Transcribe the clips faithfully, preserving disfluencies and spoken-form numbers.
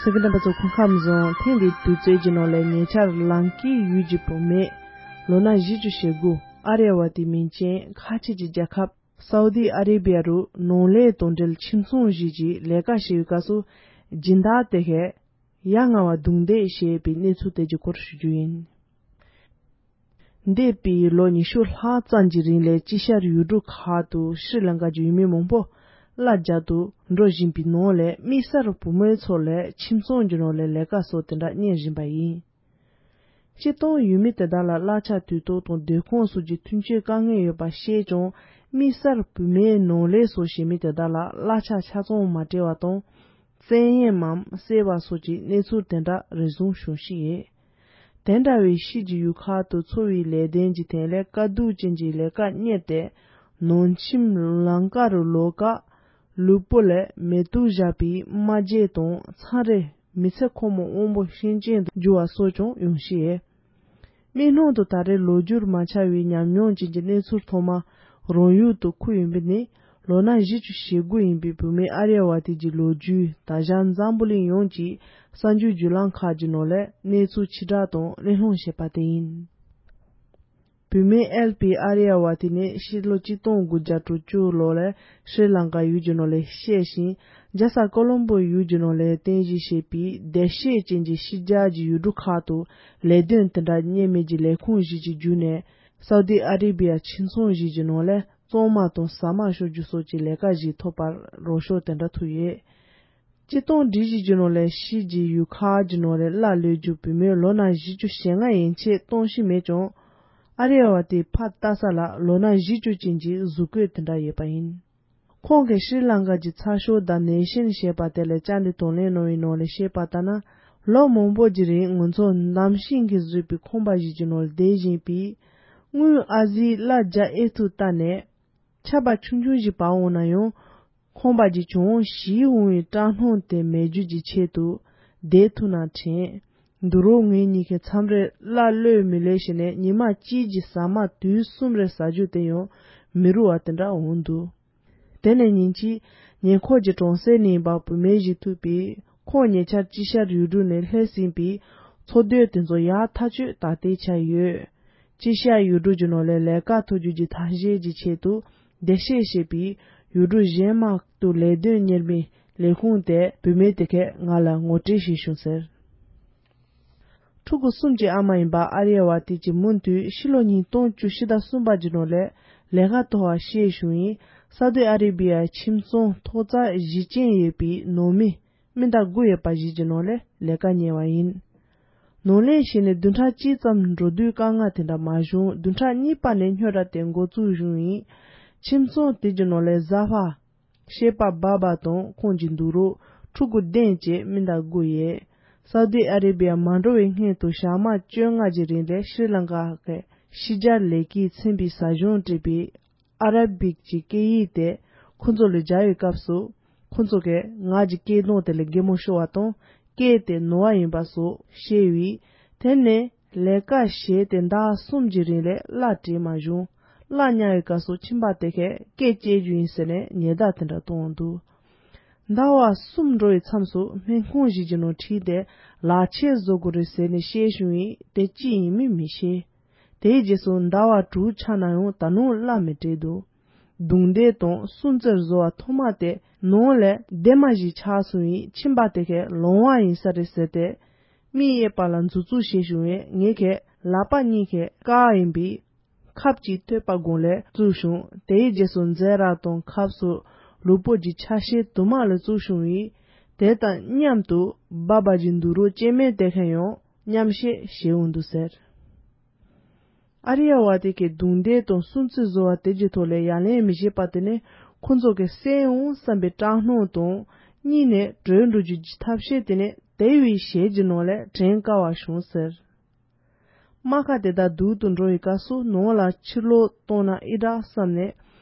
ཆ་གི་རྣམ་པ་ཚོ། སྐུ་ཁམས་བཟང་། ཐེངས་འདིའི་དུས་ཚོད་ཀྱི་ནང་ལ་ཉེ་ཆར་ལང་ཀའི་ཡུལ་གྱི་བུད་མེད་ལོ་ན་བཞི་བཅུ་ཞེ་དགུ་ཨ་རི་ཡ་བ་དེ་མིང་ཅན་ཁ་ཆེ་གྱི་རྒྱལ་ཁབ་སའུ་ཏི་ཨ་རི་བི་ཡ་རུ་ནང་ལས་དང་འབྲེལ་ཁྱིམ་ཚང་ཞིག་གི་ལས་ཀ་བྱེད་པའི་སྐབས་སུ་སྦྱིན་བདག་དེ་གས་ཡ་ང་བ་རྡུང་རྡེག་བྱས་པའི་གནས་ཚུལ་དེ་གྱི་སྐོར་ཞུ་རྒྱུ་ཡིན། འདས་པའི་ལོ་ཉི་ཤུ་ལྷག་ཙམ་གྱི་རིང་ལ་དཀྱིལ་ཤར་ཡུལ་གྲུ་ཁག་ཏུ་ཤྲི་ལང་ཀ་གྱི་ཡུལ་མི་མང་པོ་གླ་རྒྱག་ཏུ་འགྲོ་བཞིན་པའི་ནང་ལས་དམིགས་བསལ་བུད་མེད་ཚོ་ལ་ཁྱིམ་ཚང་གི་ནང་ལ་ལས་ཀ་སོགས་དེ་འདྲ་གཉེར་བཞིན་པ་ཡིན། སྤྱིར་བཏང་ཡུལ་མི་དེ་དག་ལ་གླ་ཆ་དུས་ཐོག་དང་སྡོད་ཁང་སོགས་ཀྱི་མཐུན་རྐྱེན་དཀའ་ངལ་ཡོད་པ་ཤེས་ཀྱང་། དམིགས་བསལ་བུད་མེད་ནང་ལས་སོགས་བྱེད་མི་དེ་དག་ལ་གླ་ཆ་ཆ་ཚང་མ་སྤྲད་པ་དང་། བཙན་གཡེམ་མམ་བསད་པ་སོགས་ཀྱི་གནས་ཚུལ་དེ་འདྲ་རེ་ཟུང་བྱུང་ཤིག་ཡོད། དེ་འདྲ་བའི་ཕྱིས་ཀྱི་ཡུལ་ཁག་ཏུ་འཚོ་བའི་ལས་དོན་གྱི་ཐད་ལས་དཀའ་སྡུག་ཅན་གྱི་ལས་ཀ་གཉེར་ཏེ། ནང་ཁྱིམ་ལང་ཀ་རུ་ལོག་སྐབས་ལུས་པོ་ལ་མེ་ཏོག་བཞག་པའི་རྨ་རྗེས་དང་མཚམས་རེ་མི་ཚེ་ཁོ་མོ་དབང་པོ་ཤིན་ཅང་དུ་འགྱུར་བ་སོགས་ཀྱང་ཡོང་ཤེས། མིག་ནང་དུ་ད་རེས་ལོ་རྒྱུས་མ་ཆགས་པའི་ཉམས་མྱོང་ཅན་གྱི་གནས་ཚུལ་ཐོག་མ་རང་ཡུལ་དུ་འཁུར་ཡོང་པ་ནི། ལོ་ན་བཞི་བཅུ་ཞེ་དགུ་ཡིན་པའི་བུད་མེད་ཨ་རི་ཡ་བ་དེ་གྱི་ལོ་རྒྱུས་ད་ཆ་འཛམ་བུ་གླིང་ཡོངས་ཀྱི་གསར་འགྱུར་བརྒྱུད་ལམ་ཁག་གི་ནང་ལས་གནས་ཚུལ་ཕྱིར་བསྒྲགས་དང་གླེང་སློང་བྱས་པ་དེ་ཡིན། བུད་མེད་ཨེལ་པི་ཨ་རི་ཡ་བ་དེ་ནི་ཕྱི་ལོ་གཅིག་སྟོང་དགུ་བརྒྱ་དྲུག་ཅུ་ལོ་ལ་ཤྲི་ལང་ཀ་ཡུལ་གྱི་ནང་ལ་གཤེགས་ཤིང་། རྒྱལ་ས་ཀོ་ལོམ་པོ་ཡུལ་གྱི་ནང་ལ་རྟེན་གཞི་བྱས་པའི་བདེ་གཤེགས་ཅན་གྱི་ཕྱི་རྒྱལ་གྱི་ཡུལ་གྲུ་ཁག་ཏུ་ལས་དོན་དེ་འདྲ་གཉེར་མི་གྱི་ལས་ཁུངས་ཤིག་གི་བརྒྱུད་ནས་སའུ་ཏི་ཨ་རི་བི་ཡ་ཁྱིམ་ཚང་ཞིག་གི་ནང་ལ་གཙང་མ་དང་ཟ་མ་གཤོག་རྒྱུ་སོགས་ཀྱི་ལས་ཀ་ཞིག་ཐོབ་པར་རོགས་སྐྱོར་དེ་འདྲ་ཐུབ་ཡོད། སྤྱིར་བཏང་སྒྲིག་གཞི་གྱི་ནང་ལས་ཕྱི་གྱི་ཡུལ་ཁག་གི་ནང་ལས་གླ་ལོས་རྒྱུ་བུད་མེད་ལོ་ན་བཞི་བཅུ་ཞེ་ལྔ་ཡན་ཆད་གཏོང་བཞིན་མེད་ཀྱང་། ཨ་རི་ཡ་བ་དེ་ཕར་ལྟ་ས་ལ་ལོ་ན་བཞི་བཅུ་ཅན་གྱི་གཟུགས་བཀོད་དེ་འདྲ་ཡོད་པ་ཡིན། ཁོང་གིས་ཤྲི་ལང་ཀ་གྱི་ཚགས་ཤོག་The Nation་ཞེས་པ་དེ་ལ་བཅར་འདྲི་དང་ལེན་གནང་བའི་ནང་ལ་བཤད་པ་ལྟར་ན། ལོ་མང་པོ་གྱི་རིང་ང་ཚོ་འདམ་ཤིང་གིས་བཟོས་པའི་ཁང་པ་ཞིག་གི་ནང་ལ་བསྡད་བཞིན་པས། དངུལ་ཨ་ཟིའི་གླ་རྒྱག་ཨེ་ཐུབ་ལྟ་ནས། ཆར་པ་ཆུང་ཆུང་ཞིག་བབས་འོང་ན་ཡང་། ཁང་པ་གྱི་གྱང་ཞིག་འོང་བའི་སྐྲག་སྣང་དེ་མེད་རྒྱུ་གྱི་ཆེད་དུ་བསྡད་ཐུབ་ན་དྲན། འདུག་རོགས་ངེད་གཉིས་ཀྱིས་མཚམས་རེར་གླ་གློད་མི་གློད་བྱས་ནས་ཉི་མ་གཅིག་གི་ཟ་མ་དུས་གསུམ་རེ་ཟ་རྒྱུ་དེ་ཡང་མི་རུང་བ་དེ་འདྲ་འོང་འདུག་དེ་ནས་ཉིན་གཅིག་ཉེ་འཁོར་གྱི་གྲོང་གསེབ་ནས་ཡིན་པ་བུད་མེད་ཞིག་ཐུག་པས། ཁོང་ཉེ་ཆར་དཀྱིལ་ཤར་ཡུལ་གྲུ་ནས་སླེབས་ཟིན་པས། འཚོ་སྡོད་དེ་ཚོ་ཡག་ཐག་ཆོད་ད་ལྟའི་ཆར་ཡོད། དཀྱིལ་ཤར་ཡུལ་གྲུ་གྱི་ནང་ལས་ལས་ཀ་ཐོབ་རྒྱུ་གྱི་ཐབས་ཤེས་ཀྱི་ཆེད་དུ་བདེ་གཤེགས་ཞེས་པའི་ཡུལ་གྲུ་གཞན་མ་དུ་ལས་དོན་གཉེར་མི་ལས་ཁུངས་དེ་བུད་མེད་དེ་གས་ང་ལ་ངོ་སྤྲོད་ཞིག་བྱུང་ཟེར། ཕྲུ་གུ་གསུམ་གྱི་ཨ་མ་ཡིན་པ་ཨ་རི་ཡ་བ་དེ་གྱིས་མུ་མཐུད་ཕྱི་ལོ་ཉིས་སྟོང་བཅུ་བཞི་ཟླ་གསུམ་པ་གྱི་ནང་ལས་ལས་ཀ་ཐོབ་པ་ཤེས་བྱུང་བས། སའུ་ཏི་ཨ་རི་བི་ཡའི་ཁྱིམ་ཚང་ཐོག་རྩེག་བཞི་ཅན་ཡོད་པའི་ནང་མི་སྨན་བདག་དགུ་ཡོད་པ་ཞིག་གི་ནང་ལས་ལས་ཀ་གཉེར་བ་ཡིན། ནང་ལས་བྱས་ནས་བདུན་ཕྲག་གཅིག་ཙམ་འགྲོ་དུས་དཀའ་ངལ་དེ་འདྲ་མ་བྱུང་། བདུན་ཕྲག་གཉིས་པ་ནས་རྙོག་དྲ་དེ་འགོ་བཙུགས་བྱུང་ཡིན། ཁྱིམ་ཚང་དེ་གྱི་ནང་ལས་བཟའ་བ་ཤེས་པ་སྦ་བ་དང་ཁོང་གི་འདུག་རོགས་ཕྲུ་གུ་བདུན་བཅས་སྨན་བདག་དགུ་ཡོད། སའུ་ཏི་ཨ་རི་བི་ཡ་མ་འགྲོ་བའི་སྔོན་དུ་ཞག་མ་བཅོ་ལྔ་གྱི་རིང་ལས་ཤྲི་ལང་ཀ་གི་ཕྱི་རྒྱལ་ལས་ཀྱིས་མཚན་པའི་ཟ་གཞུང་སྤྲད་པའི་ཨ་ར་བིག་གི་སྐད་ཡིག་དེ་ཁོ་ཚོ་ལ་སྦྱར་བའི་སྐབས་སུ། ཁོ་ཚོ་གིས་ང་གི་སྐད་གདངས་དེ་ལ་གད་མོ་ཤོར་བ་དང་སྐད་དེ་ནོར་བ་ཡིན་པ་སོགས་བཤད་པས། དེ་ནས་ལས་ཀ་བྱས་ཏེ་ཟླ་གསུམ་གྱི་རིང་ལས་གླ་སྤྲད་མ་བྱུང་། གླ་ཉར་བའི་སྐབས་སུ་ཁྱིམ་པ་དེ་གས་སྐད་བཅད་རྒྱུ་ཡིན་ཟེར་ནས་ཉེས་བརྡ་དེ་འདྲ་བཏང་འདུག་ཟླ་བ་གསུམ་འགྲོ་བའི་མཚམས་སུ་སྨན་ཁང་ཞིག་གི་ནང་ཁྲིད་དེ་ལག་ཆས་བཟོ་དགོས་རེད་ཟེར་ནས་བཤད་བྱུང་བས། དེ་ཅི་ཡིན་མིན་མི་ཤེས། དེའི་རྗེས་སུ་ཟླ་བ་དྲུག་ཆགས་ན་ཡང་ད་དུང་གླ་མི་སྤྲད་འདུག་རྡུང་རྡེག་དང་སྲུང་བརྩི་བཟོ་བ་ཐོག་མ་དེ་ནང་ལས་སྡེར་མ་ཞིག་ཆགས་སོང་བས། ཁྱིམ་པ་དེ་གས་ལོང་བ་ཡིན་ས་རེད་ཟེར་ཏེ། མིག་གཡས་པ་ལ་མཛུབ་བཙུགས་བྱས་བྱུང་བས། ངེད་ཀྱི་ལག་པ་གཉིས་ཀྱིས་བཀག་ཡིན་པས། ཁབ་ཅིག་ཐོད་པ་སྒང་ལ་བཙུགས་བྱུང་། དེའི་རྗེས་སུ་མཛེ་ར་དང་ཁབ་སོགས་ལུས་པོ་གི་ཆ་ཤས་དུ་མ་ལ་བཙུགས་བྱུང་བས། དེ་དང་མཉམ་དུ་སྦ་བ་གི་འདུག་རོགས་སྐྱེ་དམན་དེ་གས་ཡང་མཉམ་བཤད་བྱས་འོང་འདུག་ཟེར། ཨ་རི་ཡ་བ་དེ་གའི་རྡུང་རྡེག་དང་སྲུང་བརྩི་བཟོ་བ་དེ་གྱི་ཐོག་ལས་ཡ་ལན་མི་བྱེད་པ་དེ་ནི་ཁོ་ཚོ་གི་བསད་འོང་བསམ་པའི་སྐྲག་སྣང་དང་། གཉིས་ནས་བྲོས་འགྲོ་རྒྱུ་གྱི་ཐབས་ཤེས་དེ་ནི་དེ་བས་ཞལ་གྱི་ནང་ལས་དྲན་དཀའ་བ་བྱུང་ཟེར། རྨ་ཁ་དེ་དག་སྡུག་ཏུ་འགྲོ་བའི་སྐབས་སུ་ནང་ལ་ཕྱིར་ལོག་གཏོང་ན་ཨི་དྲག་བསམ་ནས།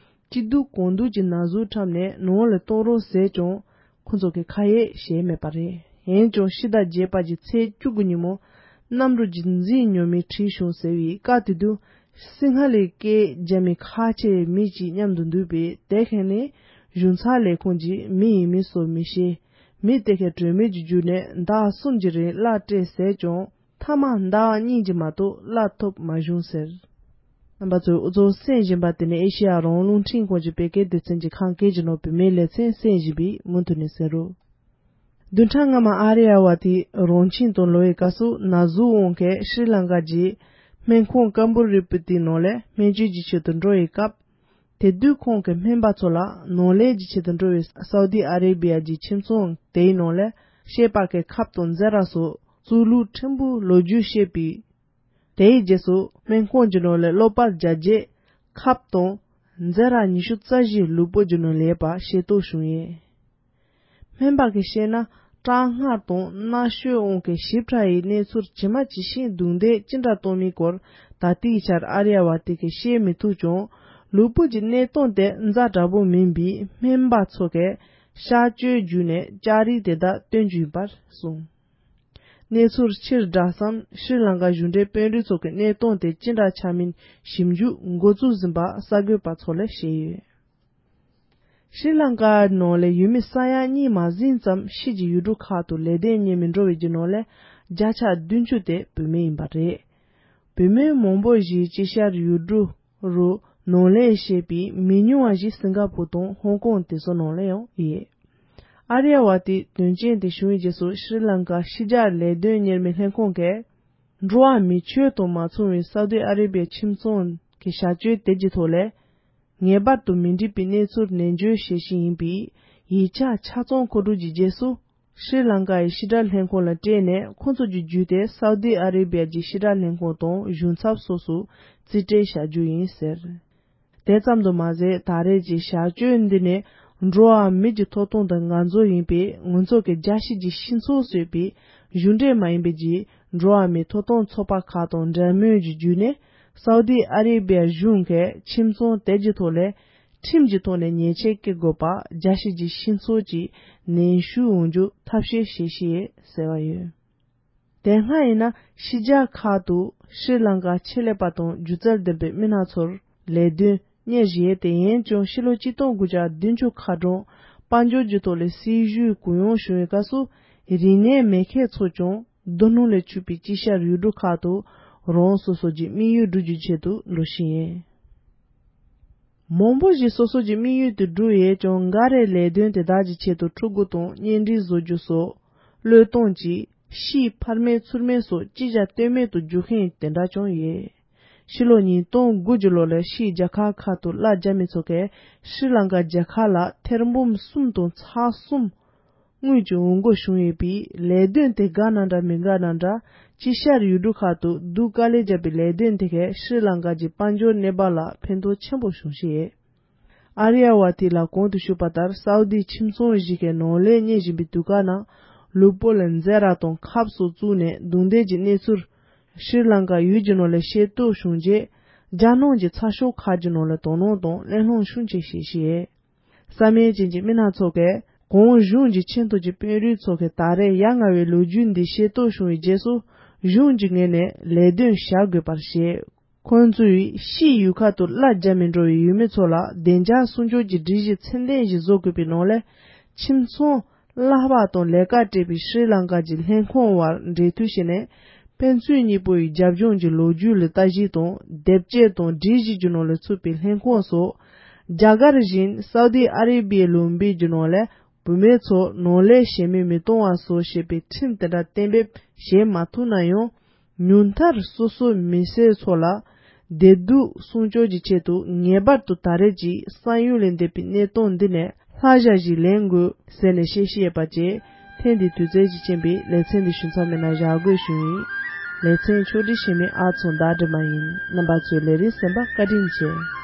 སྐྱིད་སྡུག་གང་སྡུག་གི་ན་ཟུག་འཁྲབ་ནས་ནང་ལ་གཏོང་རོགས་ཟེར་ཀྱང་། ཁོ་ཚོ་གིས་ཁ་ཡེ་བྱས་མེད་པ་རེད། འོན་ཀྱང་ཕྱི་ཟླ་བརྒྱད་པ་གི་ཚེས་བཅུ་དགུ་ཉིན་མོ། གནམ་གྲུ་གཅིག་འཛིན་ཉོ་མི་ཁྲིད་བྱུང་ཟེར་བའི་སྐབས་དེ་དུས། སིང་ཧ་ལའི་སྐད་རྒྱག་མི་ཁ་ཆེ་མི་གཅིག་མཉམ་དུ་འདུག་པས། དེ་གས་ནི་གཞུང་ཚབ་ལས་ཁུངས་ཀྱི་མི་ཡིན་མིན་སོགས་མི་ཤེས། མི་དེ་གའི་གྲོས་མོལ་གྱི་བརྒྱུད་ནས་ཟླ་གསུམ་གྱི་རིང་གླ་སྤྲད་ཟེར་ཀྱང་། མཐའ་མ་ཟླ་གཉིས་ཀྱི་མ་གཏོགས་གླ་ཐོབ་མ་བྱུང་ཟེར། རྣམ་པ་ཚོས་འུ་ཚོ་གསན་བཞིན་པ་དེ་ནི་ཨེ་ཤེ་ཡ་རང་དབང་རླུང་འཕྲིན་ཁང་གི་བོད་སྐད་སྡེ་ཚན་གྱི་ཁམས་སྐད་ཀྱི་ནང་བོད་མིའི་ལེ་ཚན་གསན་བཞིན་པའི་མུ་མཐུད་ནས་གསན་རོགས། བདུན་ཕྲག་སྔ་མ་ཨ་རི་ཡ་བ་དེ་རང་ཁྱིམ་དུ་ལོག་པའི་སྐབས་སུ་ན་ཟུག་འོང་མཁན་ཤྲི་ལང་ཀ་གྱི་སྨན་ཁང་ཀམ་བུ་རི་པུ་ཏི་ནང་ལ་སྨན་བཅོས་ཀྱི་ཆེད་དུ་འགྲོ་བའི་སྐབས། དེ་དུས་ཁོང་གི་སྨན་པ་ཚོ་ལ་ནང་ལས་ཀྱི་ཆེད་དུ་འགྲོ་བའི་སའུ་ཏི་ཨ་རེ་བི་ཡ་གྱི་ཁྱིམ་ཚང་དེའི་ནང་ལ་བཤད་པ་གི་ཁབ་དང་རྫས་ར་སོགས་གཙུག་ལུག་ཕྲན་བུ་ལོ་རྒྱུས་བཤད་པའི། དེའི་རྗེས་སུ་སྨན་ཁང་གི་ནང་ལ་གློག་པར་རྒྱག་རྗེས་ཁབ་དང་རྫས་ར་ཉི་ཤུ་རྩ་བཞི་ལུས་པོ་གི་ནང་ལ་ཡོད་པ་ཤེས་རྟོགས་བྱུང་ཡོད། སྨན་པ་གིས་བཤད་ན་སྐྲག་སྣང་དང་སྣ་ཤོས་དབང་གིས་ཞིབ་ཕྲ་ཡི་གནས་ཚུལ་ཇི་མ་ཇི་བཞིན་རྡུང་རྡེག་ཅི་འདྲ་གཏོང་མིན་སྐོར་ད་ལྟའི་ཆར་ཨ་རི་ཡ་བ་དེ་གིས་བཤད་མི་ཐུབ་ཀྱང་། ལུས་པོ་གི་གནས་སྟངས་དེ་ཛ་དྲག་པོ་མིན་པས་སྨན་པ་ཚོ་གིས་གཤག་བཅོས་བརྒྱུད་ནས་ལྕགས་རིགས་དེ་དག་བཏོན་རྒྱུ་ཡིན་པར་གསུངས། གནས་ཚུལ་ཕྱིར་བསྒྲགས་སམ་ཤྲི་ལང་ཀ་གཞུང་འབྲེལ་དཔོན་རིགས་ཚོ་གི་གནས་སྟངས་དེ་ཅི་འདྲ་ཆགས་མིན་ཞིབ་འཇུག་འགོ་བཙུགས་ཟིན་པ་གསར་འགོད་པ་ཚོ་ལ་བཤད་ཡོད། ཤྲི་ལང་ཀ་ནང་ལ་ཡུལ་མི་ས་ཡ་གཉིས་མ་ཟིན་ཙམ་ཕྱི་གྱི་ཡུལ་གྲུ་ཁག་ཏུ་ལེགས་ལྡན་གཉེར་མི་འགྲོ་བའི་རྒྱུ་ནོར་ལས་བརྒྱ་ཆ་བདུན་ཅུ་དེ་བུད་མེད་ཡིན་པ་རེད། བུད་མེད་མང་པོ་ཞིག་དཀྱིལ་ཤར་ཡུལ་གྲུ་རུ་ནང་ལས་བྱེད་པའི་མི་ཉུང་བ་ཞིག་སིང་ག་པུར་དང་ཧོང་ཀོང་དེ་ཚོ་ནང་ལ་ཡང་ཡོད། ཨ་རི་ཡ་བ་དེས་དོན་རྐྱེན་དེ་བྱུང་བའི་རྗེས་སུ་ཤྲི་ལང་ཀ་ཕྱི་རྒྱལ་ལེགས་ལྡན་གཉེར་མི་ལྷན་ཁང་གིས། འགྲོ་བ་མིའི་ཆོས་དང་མ་མཚུངས་པའི་སའུ་ཏི་ཨ་རི་བའི་ཁྱིམ་ཚང་གི་བྱ་སྤྱོད་དེ་གྱི་ཐོག་ལས། ངེས་པར་དུ་མི་འགྲིག་པའི་གནས་ཚུལ་ནན་བརྗོད་བྱེད་བཞིན་ཡིན་པའི་ཡིག་ཆ་ཆ་ཚང་མཁོ་སྒྲུབ་ཀྱི་རྗེས་སུ། ཤྲི་ལང་ཀ་ཡི་ཕྱི་དྲག་ལྷན་ཁང་ལ་སྤྲད་ནས་ཁོང་ཚོ་གི་བརྒྱུད་དེ་སའུ་ཏི་ཨ་རི་བའི་ཕྱི་དྲག་ལྷན་ཁང་དང་གཞུང་ཚབ་སོགས་སུ་རྩིས་སྤྲད་བྱ་རྒྱུ་ཡིན་ཟེར། དེ་ཙམ་དུ་མ་ཟད་ད་རེས་ཀྱི་བྱ་སྤྱོད་འདི་ནི་འགྲོ་བ་མི་གྱི་ཐོབ་ཐང་དང་ང་ཚོ་ཡིན་པས་ང་ཚོ་གི་རྒྱལ་སྤྱི་གི་སྤྱི་ཚོགས་ཟེར་བའི་གཞུང་འབྲེལ་མ་ཡིན་པའི་གྱི་འགྲོ་བ་མིའི་ཐོབ་ཐང་ཚོགས་པ་ཁག་དང་འབྲེལ་མོལ་གྱི་བརྒྱུད་ནས་སའུ་ཏི་ཨ་རི་བའི་གཞུང་གིས་ཁྱིམ་ཚང་དེ་གྱི་ཐོག་ལས་ཁྲིམས་ཀྱི་ཐོག་ནས་ཉེས་ཆད་བཀལ་དགོས་པ་རྒྱལ་སྤྱི་གི་སྤྱི་ཚོགས་ཀྱིས་ནན་ཞུ་འོང་རྒྱུ་ཐབས་ཤེས་བྱེད་ཤེས་ཟེར་བ་ཡོད། དེ་སྔ་ཡིན་ན་ཕྱི་རྒྱལ་ཁག་ཏུ་ཤྲི་ལང་ཀ་ཆེད་ལས་པ་དང་སྒྱུ་རྩལ་ལྡན་པའི་མི་སྣ་ཚོར་ལས་དོན་གཉེར་བཞིན་ཡོད་དེ་ཡིན་ཀྱང་ཕྱི་ལོ་ཆིག་སྟོང་དགུ་བརྒྱ་བདུན་ཅུ་ཁ་གྲངས་དཔལ་འབྱོར་གྱི་ཐོག་ལས་སྲིད་ཇུས་གུ་ཡངས་བྱུང་བའི་སྐབས་སུ་རིག་གནས་མེད་མཁན་ཚོ་ཀྱང་རྡོ་སྣུམ་ལས་ཕྱུག་པའི་དཀྱིལ་ཤར་ཡུལ་གྲུ་ཁག་ཏུ་རང་སོ་སོ་གྱི་དམིགས་ཡུལ་བསྒྲུབ་རྒྱུའི་ཆེད་དུ་འགྲོ་བཞིན་ཡོད། མང་པོ་ཞིག་སོ་སོ་གྱི་དམིགས་ཡུལ་དེ་བསྒྲུབས་ཡོད་ཀྱང་འགའ་རེས་ལས་དོན་དེ་དག་གི་ཆེད་དུ་ཕྲུ་གུ་དང་གཉེན་སྒྲིག་བཟོ་རྒྱུ་སོགས་བློས་གཏོང་གྱིས་ཕྱིའི་ཕར་མེད་ཚུར་མེད་སོགས་ཅི་བྱ་གཏོལ་མེད་དུ་འགྱུར་མཁན་དེ་འདྲ་ཀྱང་ཡོད། ཕྱི་ལོ་ཉིས་སྟོང་དགུ་གི་ལོ་ལ་ཕྱིའི་རྒྱལ་ཁབ་ཁག་ཏུ་གླ་རྒྱག་མི་ཚོ་གས་ཤྲི་ལང་ཀ་རྒྱལ་ཁབ་ལ་ཐེར་འབུམ་གསུམ་དང་ཚེག་གསུམ་དངུལ་གྱི་འོང་སྒོ་བྱུང་ཡོད་པས་ལས་དོན་དེ་དགའ་ན་འདྲ་མི་དགའ་ན་འདྲ་དཀྱིལ་ཤར་ཡུལ་གྲུ་ཁག་ཏུ་སྡུག་དཀའ་ལས་བརྒྱབ་པའི་ལས་དོན་དེ་གས་ཤྲི་ལང་ཀ་གྱི་དཔལ་འབྱོར་གནས་བབ་ལ་ཕན་ཐོགས་ཆེན་པོ་བྱུང་བཞིན་ཡོད། ཨ་རི་ཡ་བ་དེ་ལ་གོང་དུ་ཞུས་པ་ལྟར་སའུ་དིའི་ཁྱིམ་ཚང་ཞིག་གི་ནང་ལས་གཉེར་བཞིན་པའི་དུས་སྐབས་ནང་ལུས་པོ་ལ་རྫས་ར་དང་ཁབ་སོགས་བཙུགས་ནས་རྡུང་རྡེག་གི་གནས་ཚུལ་ཤྲི་ལང་ཀ་ཡུལ་གྱི་ནང་ལ་ཤེས་རྟོགས་བྱུང་རྗེས་རྒྱལ་ནང་གི་ཚགས་ཤོག་ཁག་གི་ནང་ལ་དོ་སྣང་དང་གླེང་སློང་ཤུགས་ཆེ་བྱེད་བཞིན་ཡོད། བསམ་ཡས་ཅན་གྱི་མི་སྣ་ཚོ་གས་གོང་གཞུང་གི་ཆེས་མཐོ་གི་དཔོན་རིགས་ཚོ་གས་ད་རེས་ཡ་ང་བའི་ལོ་རྒྱུས་འདི་ཤེས་རྟོགས་བྱུང་བའི་རྗེས་སུ་གཞུང་གི་ངོས་ནས་ལས་དོན་བྱ་དགོས་པར་བཤད། ཁོང་ཚོས་ཕྱིའི་ཡུལ་ཁག་ཏུ་གླ་རྒྱག་མི་འགྲོ་བའི་ཡུལ་མི་ཚོ་ལ་བདེ་འཇགས་སྲུང་སྐྱོབ་ཀྱི་སྒྲིག་གཞི་ཚད་ལྡན་ཞིག་བཟོ་དགོས་པའི་ནང་ལས་ཁྱིམ་ཚང་གླ་པ་དང་ལས་ཀ་སྤྲད་པའི་ཤྲི་ལང་ཀ་གྱི་ལྷན་ཁང་བར་འབྲེལ་མཐུད་བྱས་ནས་ཕན་ཚུན་གཉིས་པོ་ཡི་རྒྱབ་ལྗོངས་ཀྱི་ལོ་རྒྱུས་ལ་ལྟ་ཞིབ་དང་དེབ་སྐྱེལ་དང་སྒྲིག་གཞི་རྒྱུ་ནོར་ལ་ཚུད་པའི་ལྷན་ཁང་སོགས་རྒྱ་གར་བཞིན་སའུ་དི་ཨ་རེ་བི་ཡའི་ལུང་པའི་རྒྱུ་ནོར་ལས་བུད་མེད་ཚོ་ནང་ལས་བྱེད་མི་མི་གཏོང་བ་སོགས་ཞེས་པའི་ཁྲིམས་དེ་འདྲ་གཏན་འབེབས་བྱེད་མ་ཐུབ་ན་ཡང་ཉུང་མཐར་སོ་སོའི་མི་སེར་ཚོ་ལ་བདེ་སྡུག་སྲུང་སྐྱོབ་ཀྱི་ཆེད་དུ་ངེས་པར་དུ་ད་རེས་ཀྱི་བསམ་ཡུལ་ལས་འདས་པའི་གནས་སྟངས་འདི་ནས་ལྷག་བཞག་ཞིག་ལེན་དགོས་ཟེར་ནས་བཤད་བཤད་པ་བཅས་ཐེངས་འདིའི་དུས་ཚོད་ཀྱི་རྐྱེན་པས་ལེ་ཚན་འདི་ཞུ་མཚམས་མེད་ན་བཞག་དགོས་ཞུ་ཡིན། ལེ་ཚན་ཕྱོགས་སྒྲིག་བྱེད་མི་ཨ་ཚོ་ཟླ་སྒྲོལ་མ་ཡིན། རྣམ་པ་ཚོས་ལས་རིམ་གསན་པར་བཀའ་དྲིན་ཆེ།